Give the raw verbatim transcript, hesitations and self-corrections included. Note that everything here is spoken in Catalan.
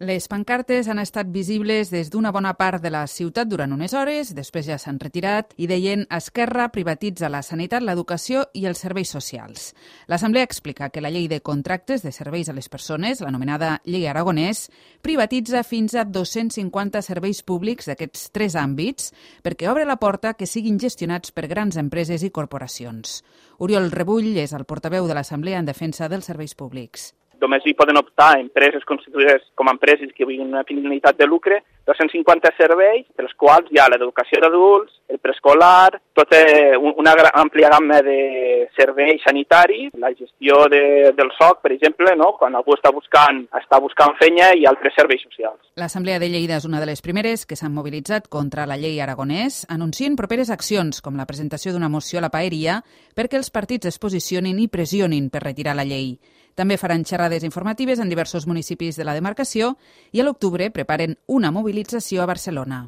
Les pancartes han estat visibles des d'una bona part de la ciutat durant unes hores, després ja s'han retirat i deien Esquerra privatitza la sanitat, l'educació i els serveis socials. L'Assemblea explica que la llei de contractes de serveis a les persones, l'anomenada Llei Aragonès, privatitza fins a dos-cents cinquanta serveis públics d'aquests tres àmbits perquè obre la porta que siguin gestionats per grans empreses i corporacions. Oriol Rebull és el portaveu de l'Assemblea en defensa dels serveis públics. Només hi poden optar empreses constituïdes com a empreses que tinguin una finalitat de lucre, dos-cents cinquanta serveis, dels quals hi ha l'educació d'adults, el preescolar, tota una àmplia gamma de serveis sanitaris, la gestió de, del S O C, per exemple, no? Quan algú està buscant, està buscant feina i altres serveis socials. L'Assemblea de Lleida és una de les primeres que s'han mobilitzat contra la llei Aragonès, anuncien properes accions, com la presentació d'una moció a la paeria, perquè els partits es posicionin i pressionin per retirar la llei. També faran xerrades informatives en diversos municipis de la demarcació i a l'octubre preparen una mobilització a Barcelona.